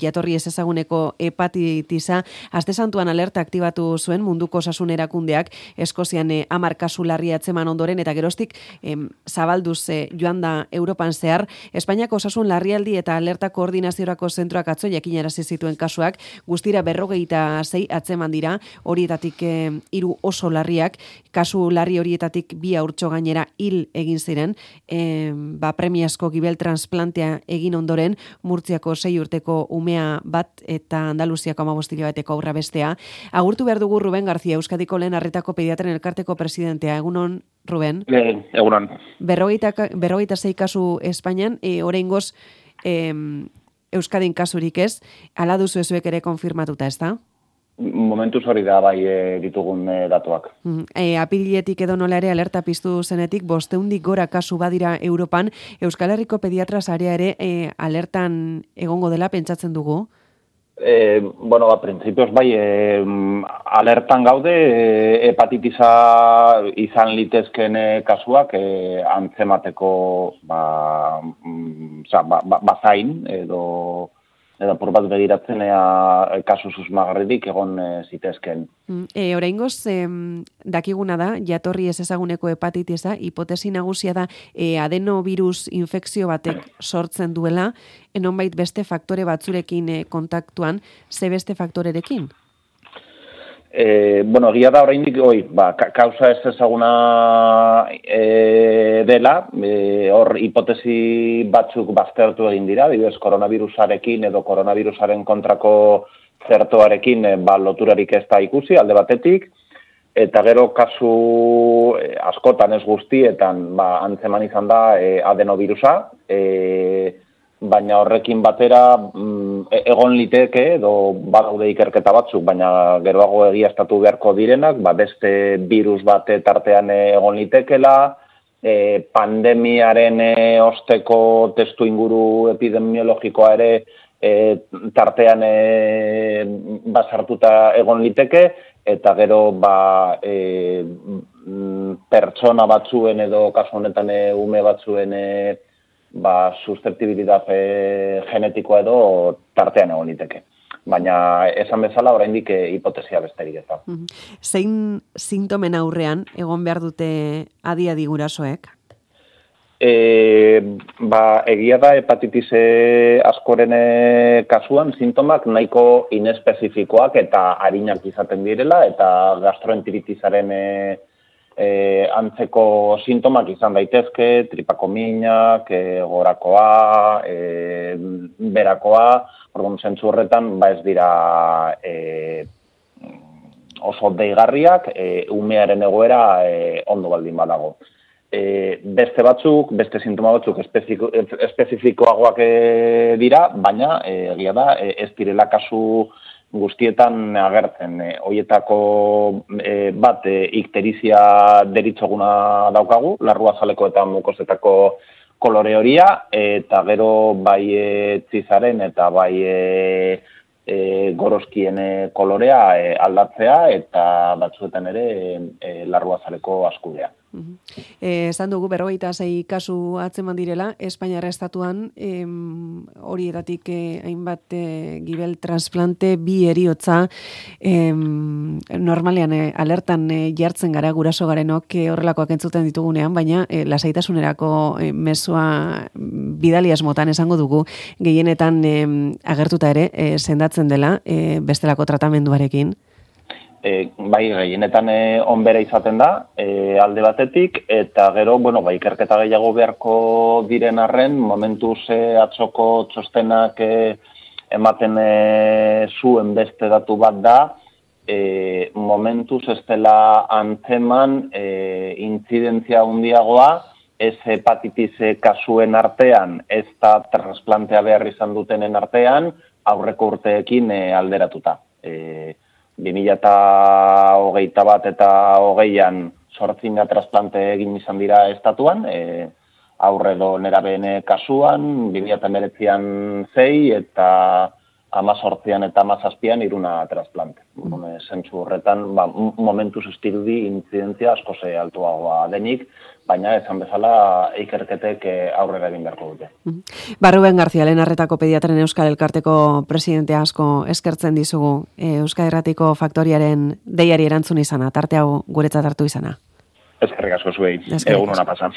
jatorri ezezaguneko hepatitisa, aste santuan alerta aktibatu zuen munduko osasun erakundeak Eskozian 10 kasu larri atzeman ondoren eta geroztik zabalduz joan da Europan zehar. Espainiako osasun larrialdi eta alerta koordinaziorako zentroak atzo jakinarazi zituen kasuak guztira 46 atzeman dira, horietatik 3 oso larriak, kasu larri horietatik 2 haurtxo gainera hil egin ziren, premiazko gibel transplantea egin ondoren, Murtziako 6 urteko umea bat eta Andaluziako 15 hilabeteko haurra bestea. Agurtu behar dugu Ruben García, Euskadiko lehen arretako pediatren elkarteko presidentea. Egunon, Ruben? Egunon. 46 kasu Espainian, oraingoz Euskadin kasurik ez, ala duzu ezuek ere konfirmatuta, ez da? Momentuz hori da bai ditugun datuak. Apiriletik edo nola ere alerta piztu zenetik 500 gora kasu badira Europan. Euskal Herriko pediatra sarea ere alertan egongo dela pentsatzen dugu? Printzipioz bai, alertan gaude, hepatitisa izan litezken kasuak antzemateko bazain edo por bat begiratzen kasu susmagarririk egon zitezken. Oraingoz, dakiguna da, jatorri ezezaguneko hepatitisa, hipotesi nagusia da adenovirus infekzio batek sortzen duela, nonbait beste faktore batzurekin kontaktuan, ze beste faktorerekin? Egia da oraindik kausa ez ezaguna dela, hor hipotesi batzuk baztertu egin dira, adibidez koronavirusarekin edo koronavirusaren kontrako zertoarekin loturarik ez da ikusi alde batetik, eta gero kasu askotan ez guztietan antzeman izan da adenovirusa, baina horrekin batera egon liteke edo badaude ikerketa batzuk, baina geroago egiaztatu beharko direnak, beste virus bat tartean egon litekela, pandemiaren osteko testu inguru epidemiologikoa ere tartean basartuta egon liteke, eta gero pertsona batzuen edo kasu honetan ume batzuen susceptibilitate genetikoa edo tartean egon liteke. Baina esan bezala oraindik hipotesia besterik ez da. Zein sintomen aurrean egon behar dute adi gurasoek? Egia da hepatitis askoren kasuan sintomak nahiko inespezifikoak eta arinak izaten direla, eta gastroenteritisaren antzeko sintomak izan daitezke, tripako minak, gorakoa, berakoa, orduan zentzu horretan ez dira oso deigarriak, umearen egoera ondo baldin badago. Beste sintoma batzuk espezifikoagoak dira, baina egia da ez direla kasu guztietan agertzen. Hoietako bat ikterizia deritzoguna daukagu, larruazaleko eta mukosetako kolore horia, eta gero bai txizaren eta bai gorozkien kolorea aldatzea, eta batzuetan ere larruazaleko askudea. Esan dugu 46 kasu atzeman direla, Espainiar estatuan horietatik hainbat gibel transplante, 2 heriotza, normalean alertan jartzen gara guraso garenok horrelakoak entzuten ditugunean, baina lasaitasunerako mezua bidali asmotan esango dugu, gehienetan agertuta ere sendatzen dela bestelako tratamenduarekin. Gehienetan onbera izaten da, alde batetik, eta gero, ikerketa gehiago beharko diren arren, momentuz atzoko txostenak ematen zuen beste datu bat da, momentuz ez dela antzeman intzidentzia handiagoa, ez hepatitis kasuen artean, ez da transplantea behar izan dutenen artean, aurreko urteekin alderatuta. 2021 eta 2020an 8 transplante egin izan dira estatuan, aurre edo nerabeen kasuan, 2019an 6 eta 18an eta 17an 3 trasplante. Zentzu horretan, momentuz estirudi intzidentzia asko ze altuagoa denik, baina esan bezala ikerketek aurrera egin beharko dute. Ruben García, Lehen Arretako Pediatren Euskal Elkarteko presidente asko eskertzen dizugu Euskadi Irratiko Faktoriaren deiari erantzun izana, tarte hau guretzat hartu izana. Eskerrik asko zuei, egun ona pasa.